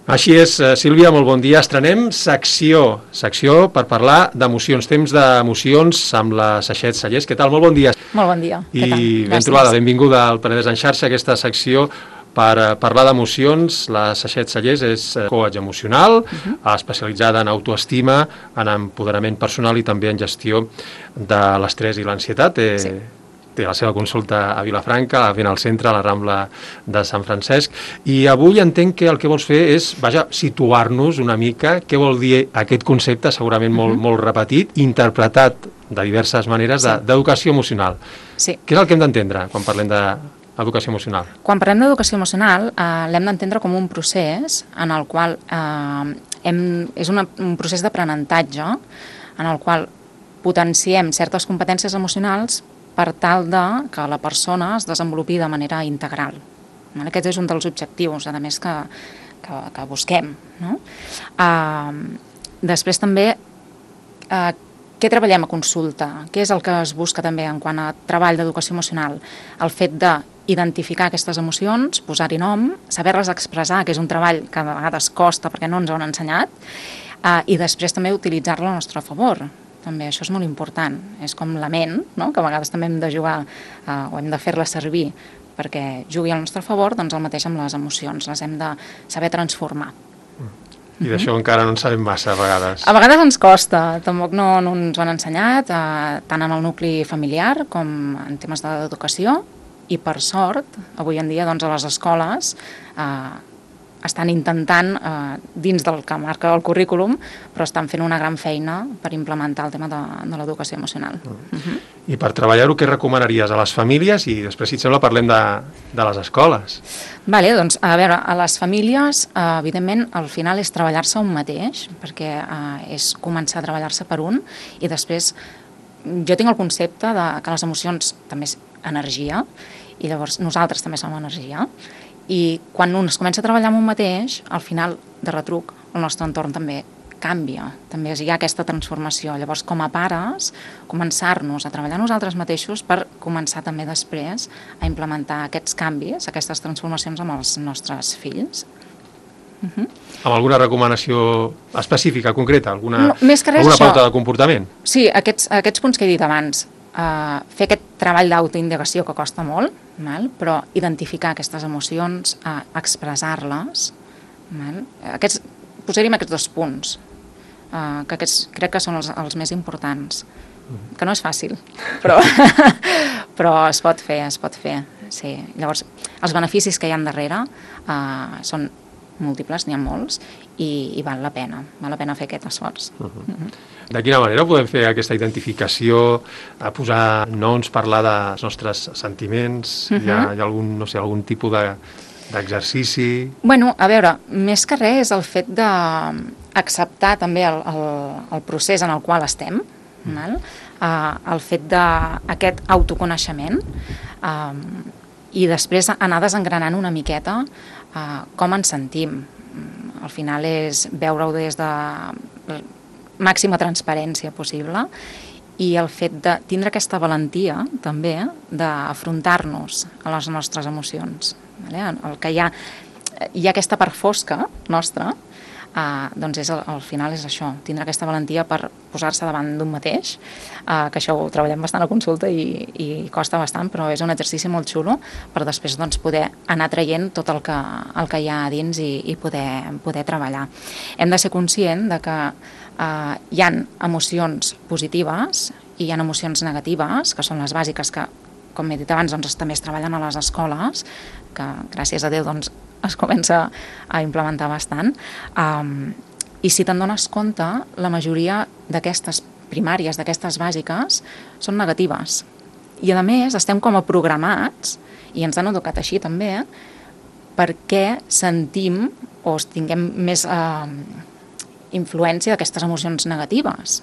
Així és, Sílvia, molt bon dia. Estrenem secció per parlar d'emocions, temps d'emocions amb la Saixet Sallés. Què tal? Molt bon dia. Molt bon dia. I ben trobada, benvinguda al Penedès en xarxa, aquesta secció per parlar d'emocions. La Saixet Sallés és coach emocional, especialitzada en autoestima, en empoderament personal i també en gestió de l'estrès i l'ansietat. Té la seva consulta a Vilafranca, ben al centre, a la Rambla de Sant Francesc. I avui entenc que el que vols fer és, situar-nos una mica què vol dir aquest concepte, segurament molt repetit, interpretat de diverses maneres, d'educació emocional. Sí. Què és el que hem d'entendre quan parlem d'educació emocional? Quan parlem d'educació emocional, l'hem d'entendre com un procés en el qual és un procés d'aprenentatge en el qual potenciem certes competències emocionals per tal que la persona es desenvolupi de manera integral. Aquest és un dels objectius, a més, que busquem. Després també, què treballem a consulta? Què és el que es busca també en quant a treball d'educació emocional? El fet d'identificar aquestes emocions, posar-hi nom, saber-les expressar, que és un treball que a vegades costa perquè no ens ho han ensenyat, i després també utilitzar-la a nostre favor. També això és molt important, és com la ment, que a vegades també hem de jugar o hem de fer-la servir perquè jugui al nostre favor, doncs el mateix amb les emocions, les hem de saber transformar. I d'això encara no en sabem massa a vegades. A vegades ens costa, tampoc no ens ho han ensenyat, tant en el nucli familiar com en temes d'educació, i per sort, avui en dia doncs, a les escoles estan intentant, dins del que marca el currículum, però estan fent una gran feina per implementar el tema de l'educació emocional. I per treballar-ho, què recomanaries a les famílies? I després, si et sembla, parlem de les escoles. Vale, doncs, a veure, a les famílies, evidentment, al final és treballar-se un mateix, perquè és començar a treballar-se per un, i després jo tinc el concepte que les emocions també és energia, i llavors nosaltres també som energia, i quan un es comença a treballar amb un mateix, al final, de retruc, el nostre entorn també canvia, també hi ha aquesta transformació. Llavors, com a pares, començar-nos a treballar nosaltres mateixos per començar també després a implementar aquests canvis, aquestes transformacions amb els nostres fills. Amb alguna recomanació específica, concreta? Alguna pauta de comportament? Sí, aquests punts que he dit abans. Fer aquest treball d'autoindagació que costa molt, però identificar aquestes emocions, expressar-les. Posaríem aquests 2 punts, que crec que són els més importants, que no és fàcil, però es pot fer. Sí. Llavors, els beneficis que hi ha darrere són múltiples, n'hi ha molts, i val la pena fer aquest esforç. De quina manera podem fer aquesta identificació, a posar noms, parlar dels nostres sentiments? Hi ha algun tipus d'exercici? Bueno, a veure, més que res és el fet d'acceptar també el procés en el qual estem, el fet d'aquest autoconeixement, i després anar desengranant una miqueta com ens sentim. Al final és veure-ho des de màxima transparència possible, i el fet de tindre aquesta valentia també d'afrontar-nos a les nostres emocions. El que hi ha aquesta part fosca nostra, doncs al final és això, tindre aquesta valentia per posar-se davant d'un mateix, que això ho treballem bastant a consulta i costa bastant, però és un exercici molt xulo per després poder anar traient tot el que hi ha a dins i poder treballar. Hem de ser conscient que hi ha emocions positives i hi ha emocions negatives, que són les bàsiques, que, com he dit abans, també es treballen a les escoles, que gràcies a Déu es comença a implementar bastant, i si te'n dones compte, la majoria d'aquestes primàries, d'aquestes bàsiques, són negatives. I a més, estem com a programats, i ens han educat així també, perquè sentim o tinguem més influència d'aquestes emocions negatives.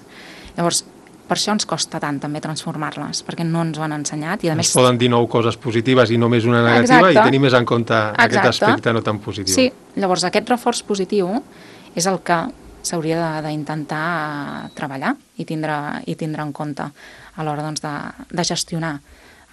Llavors, per això ens costa tant també transformar-les, perquè no ens ho han ensenyat. I ens poden dir 9 coses positives i només una negativa. Exacte. I tenir més en compte aquest aspecte no tan positiu. Sí, llavors aquest reforç positiu és el que s'hauria d'intentar treballar i tindre en compte a l'hora de gestionar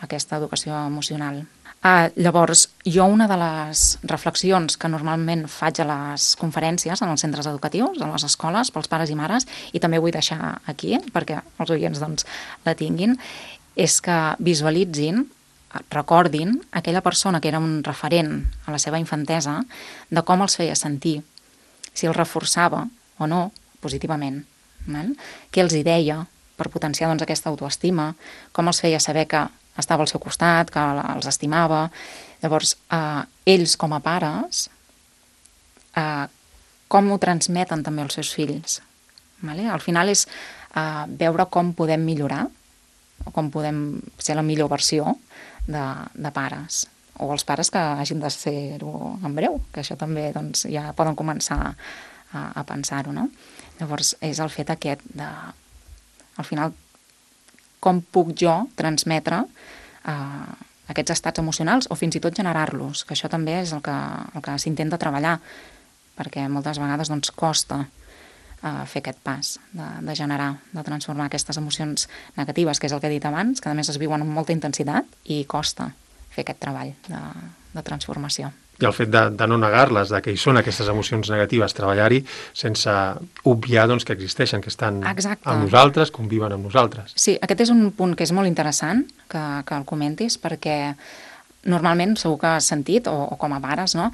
aquesta educació emocional. Llavors, jo una de les reflexions que normalment faig a les conferències en els centres educatius, a les escoles, pels pares i mares, i també vull deixar aquí, perquè els oients doncs, la tinguin, és que visualitzin, recordin aquella persona que era un referent a la seva infantesa, de com els feia sentir, si els reforçava o no, positivament, què els hi deia per potenciar doncs, aquesta autoestima, com els feia saber que estava al seu costat, que els estimava. Llavors, ells com a pares, com ho transmeten també als seus fills. Vale? Al final és veure com podem millorar, o com podem ser la millor versió de pares, o els pares que hagin de ser-ho en breu, que això també doncs, ja poden començar a pensar-ho, no? Llavors, és el fet aquest de, al final, com puc jo transmetre aquests estats emocionals o fins i tot generar-los, que això també és el que s'intenta treballar, perquè moltes vegades doncs, costa fer aquest pas de generar, de transformar aquestes emocions negatives, que és el que he dit abans, que a més es viuen amb molta intensitat i costa fer aquest treball de transformació. I el fet de no negar-les, de que hi són aquestes emocions negatives, treballar-hi sense obviar doncs, que existeixen, que estan amb nosaltres, conviven amb nosaltres. Sí, aquest és un punt que és molt interessant que el comentis, perquè normalment segur que has sentit, o com a pares, no?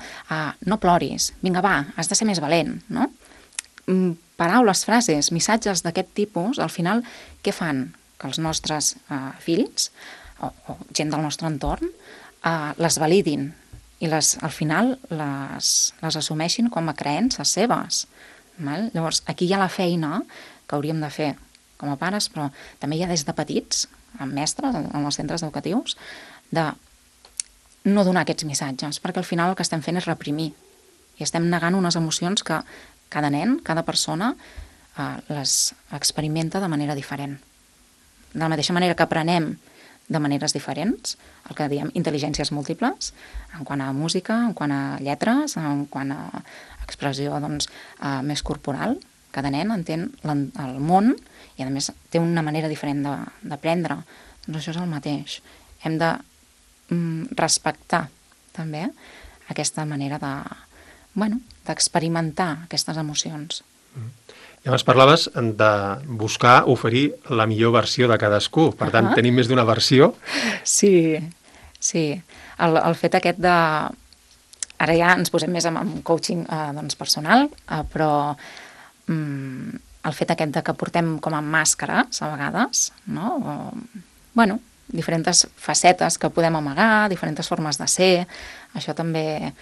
No ploris, vinga va, has de ser més valent, no? Paraules, frases, missatges d'aquest tipus, al final, què fan? Que els nostres fills o gent del nostre entorn les validin i al final les assumeixin com a creences seves. Val? Llavors, aquí hi ha la feina que hauríem de fer com a pares, però també hi ha des de petits, amb mestres, en els centres educatius, de no donar aquests missatges, perquè al final el que estem fent és reprimir i estem negant unes emocions que cada nen, cada persona les experimenta de manera diferent. De la mateixa manera que aprenem de maneres diferents, el que diem intel·ligències múltiples, en quant a música, en quant a lletres, en quant a expressió doncs, més corporal. Cada nen entén el món i, a més, té una manera diferent d'aprendre. Doncs això és el mateix. Hem de respectar també aquesta manera d'experimentar aquestes emocions. I abans parlaves de buscar oferir la millor versió de cadascú. Per tant, tenim més d'una versió. Sí. El fet aquest de... Ara ja ens posem més en coaching personal, però el fet aquest de que portem com a màscares, a vegades, no? Diferents facetes que podem amagar, diferents formes de ser, això també...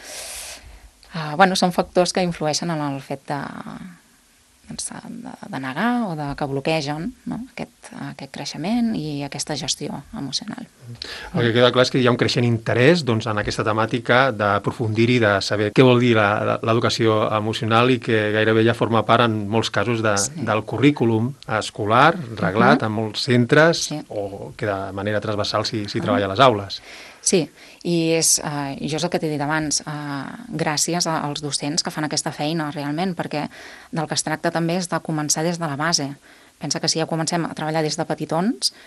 són factors que influeixen en el fet de negar o que bloquegen, no? aquest creixement i aquesta gestió emocional. El que queda clar és que hi ha un creixent interès doncs, en aquesta temàtica d'aprofundir-hi, de saber què vol dir l'educació emocional i que gairebé ja forma part en molts casos del currículum escolar reglat en molts centres o que de manera transversal s'hi treballa a les aules. Sí, i jo és el que t'he dit abans, gràcies als docents que fan aquesta feina realment, perquè del que es tracta també és de començar des de la base. Pensa que si ja comencem a treballar des de petitons,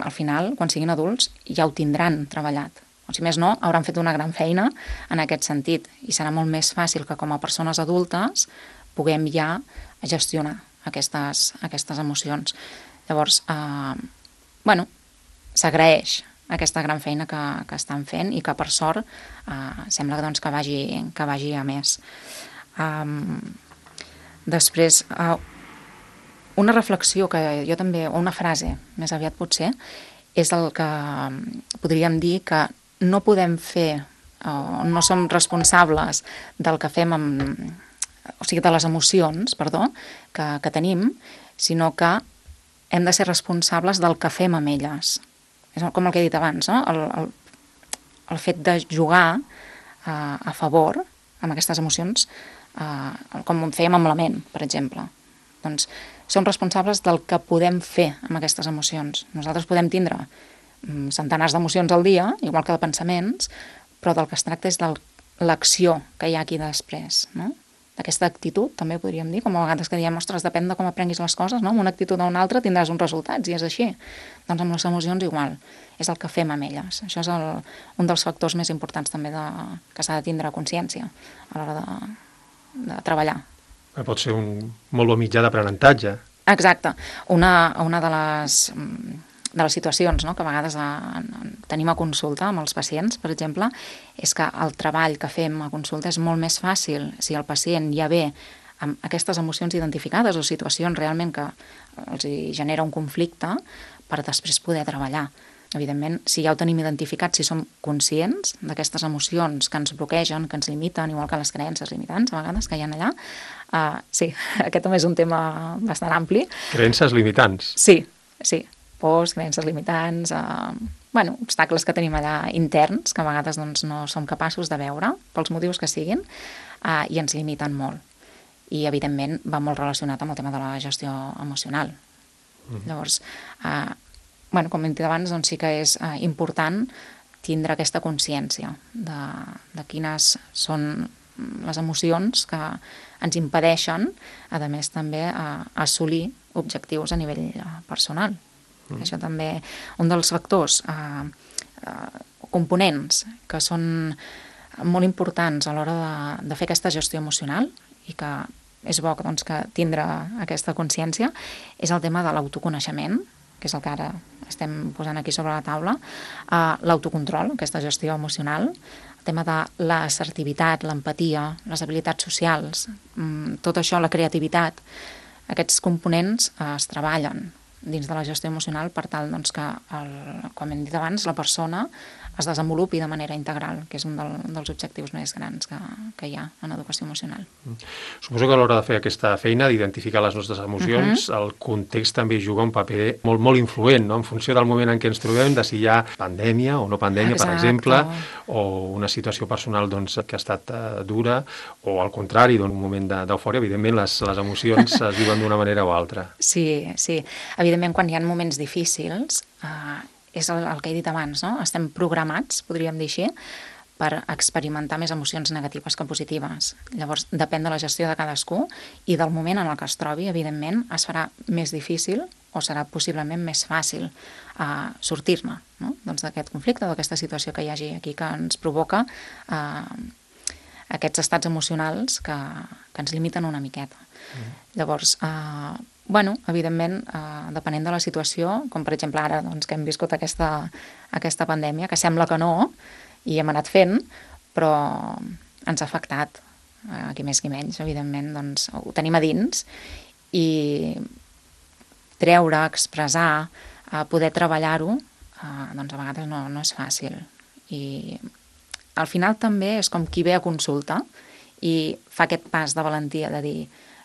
al final, quan siguin adults, ja ho tindran treballat. O si més no, hauran fet una gran feina en aquest sentit, i serà molt més fàcil que com a persones adultes puguem ja gestionar aquestes emocions. Llavors, s'agraeix aquesta gran feina que estan fent i que per sort sembla que vagi a més. Després, una reflexió que jo també, o una frase més aviat potser, és el que podríem dir que no podem fer, no som responsables del que fem de les emocions, que tenim, sinó que hem de ser responsables del que fem amb elles. És com el que he dit abans, no? El fet de jugar a favor amb aquestes emocions, com fèiem amb la ment, per exemple. Doncs som responsables del que podem fer amb aquestes emocions. Nosaltres podem tindre centenars d'emocions al dia, igual que de pensaments, però del que es tracta és de l'acció que hi ha aquí després, no? d'aquesta actitud, també podríem dir, com a vegades que diem, ostres, depèn de com aprenguis les coses, no? Amb una actitud o una altra tindràs uns resultats, i és així. Doncs amb les emocions igual, és el que fem amb elles. Això és un dels factors més importants també que s'ha de tindre consciència a l'hora de treballar. Pot ser un molt bon mitjà d'aprenentatge. Exacte. Una de les situacions, no?, que a vegades tenim a consulta amb els pacients, per exemple, és que el treball que fem a consulta és molt més fàcil si el pacient ja ve amb aquestes emocions identificades o situacions realment que els hi genera un conflicte per després poder treballar. Evidentment, si ja ho tenim identificat, si som conscients d'aquestes emocions que ens bloquegen, que ens limiten, igual que les creences limitants, a vegades, que hi ha allà, sí, aquest també és un tema bastant ampli. Creences limitants? Sí. Pors, creences limitants, obstacles que tenim allà interns, que a vegades doncs, no som capaços de veure, pels motius que siguin, i ens limiten molt. I, evidentment, va molt relacionat amb el tema de la gestió emocional. Llavors, com hem dit abans, doncs sí que és important tindre aquesta consciència de quines són les emocions que ens impedeixen, a més també, assolir objectius a nivell personal. Això també, un dels factors, components que són molt importants a l'hora de fer aquesta gestió emocional i que és bo doncs, que tindre aquesta consciència, és el tema de l'autoconeixement, que és el que ara estem posant aquí sobre la taula, l'autocontrol, aquesta gestió emocional, el tema de l'assertivitat, l'empatia, les habilitats socials, tot això, la creativitat, aquests components es treballen dins de la gestió emocional per tal doncs, que, com hem dit abans, la persona es desenvolupi de manera integral, que és un dels objectius més grans que hi ha en educació emocional. Suposo que a l'hora de fer aquesta feina, d'identificar les nostres emocions, el context també juga un paper molt, molt influent, no? En funció del moment en què ens trobem, de si hi ha pandèmia o no pandèmia, per exemple, o una situació personal doncs, que ha estat dura, o al contrari, un moment d'eufòria, evidentment les emocions es viuen d'una manera o altra. Sí. Evidentment, quan hi ha moments difícils, és el que he dit abans, no? Estem programats, podríem dir així, per experimentar més emocions negatives que positives. Llavors, depèn de la gestió de cadascú i del moment en el que es trobi, evidentment, es farà més difícil o serà possiblement més fàcil sortir-ne, no? Doncs d'aquest conflicte, d'aquesta situació que hi hagi aquí que ens provoca aquests estats emocionals que ens limiten una miqueta. Llavors, evidentment, depenent de la situació, com per exemple ara doncs, que hem viscut aquesta pandèmia, que sembla que no, i hem anat fent, però ens ha afectat, qui més qui menys, evidentment, doncs, ho tenim a dins, i treure, expressar, poder treballar-ho, doncs a vegades no és fàcil. I al final també és com qui ve a consulta i fa aquest pas de valentia de dir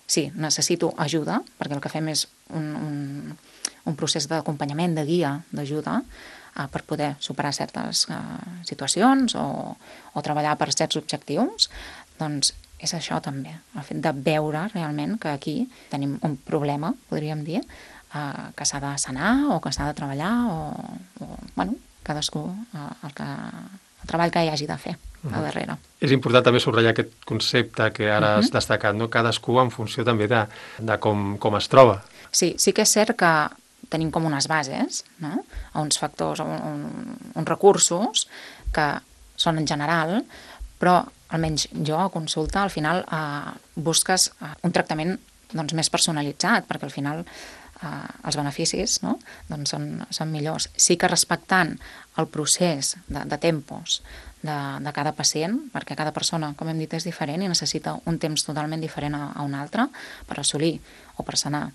sí, necessito ajuda, perquè el que fem és un procés d'acompanyament, de guia, d'ajuda, per poder superar certes situacions o treballar per certs objectius, doncs és això també, el fet de veure realment que aquí tenim un problema, podríem dir, que s'ha de sanar o que s'ha de treballar o cadascú el treball que hi hagi de fer a darrere. És important també subratllar aquest concepte que ara has destacat, no? Cadascú en funció també de com es troba. Sí que és cert que tenim com unes bases, no? Uns factors, uns recursos que són en general, però almenys jo a consulta al final busques un tractament doncs, més personalitzat, perquè al final els beneficis doncs són millors. Sí que respectant el procés de tempos de cada pacient, perquè cada persona, com hem dit, és diferent i necessita un temps totalment diferent a un altre per assolir o per sanar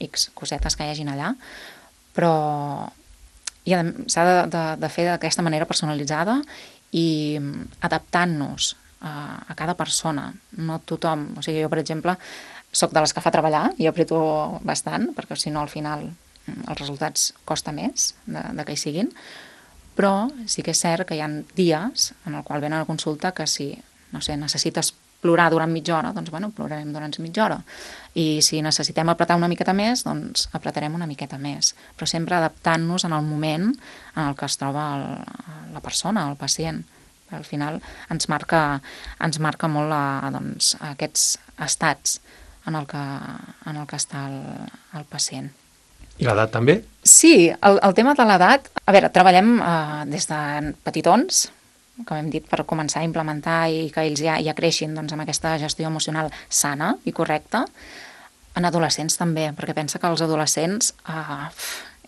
X cosetes que hi hagin allà, però s'ha de fer d'aquesta manera personalitzada i adaptant-nos a cada persona, no tothom. O sigui, jo, per exemple, soc de les que fa treballar i apreto bastant, perquè si no al final els resultats costa més de que hi siguin, però sí que és cert que hi ha dies en el qual venen a consulta que si, no sé, necessites plorar durant mitja hora, doncs plorarem durant mitja hora. I si necessitem apretar una miqueta més, doncs apretarem una miqueta més. Però sempre adaptant-nos en el moment en el que es troba la persona, el pacient, Al final ens marca molt doncs, aquests estats en el que està el pacient. I l'edat també? Sí, el tema de l'edat... A veure, treballem des de petitons, com hem dit, per començar a implementar i que ells ja creixin doncs, amb aquesta gestió emocional sana i correcta. En adolescents també, perquè pensa que els adolescents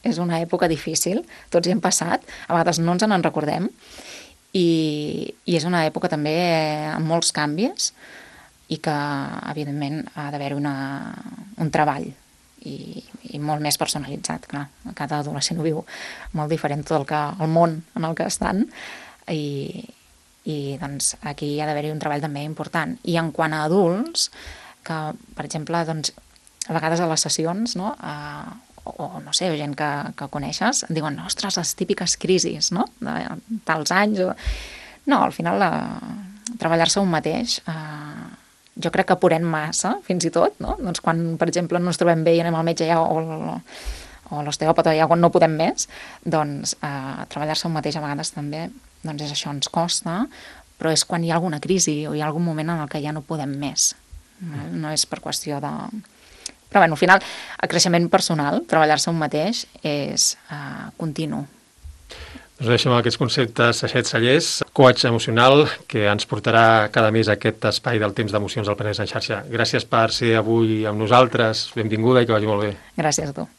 és una època difícil, tots hi hem passat, a vegades no ens en recordem, i és una època també amb molts canvis i que, evidentment, ha d'haver-hi un treball i molt més personalitzat, clar. Cada adolescent ho viu molt diferent tot el món en el que estan i doncs, aquí hi ha d'haver-hi un treball també important. I en quant a adults, que, per exemple, doncs, a vegades a les sessions, no?, o no sé, gent que coneixes, diuen, ostres, les típiques crisis, no?, de tals anys. No, al final, treballar-se un mateix... Jo crec que apurem massa, fins i tot, no? Doncs quan, per exemple, no ens trobem bé i anem al metge ja, o l'osteòpata ja quan no podem més, doncs treballar-se un mateix a vegades també, doncs és això, ens costa, però és quan hi ha alguna crisi o hi ha algun moment en el que ja no podem més. No és per qüestió de... Però bé, al final, el creixement personal, treballar-se un mateix, és continu. Doncs deixem aquests conceptes Sachets Sallés, coach emocional, que ens portarà cada mes a aquest espai del temps d'emocions al Penedès en xarxa. Gràcies per ser avui amb nosaltres, benvinguda i que vagi molt bé. Gràcies a tu.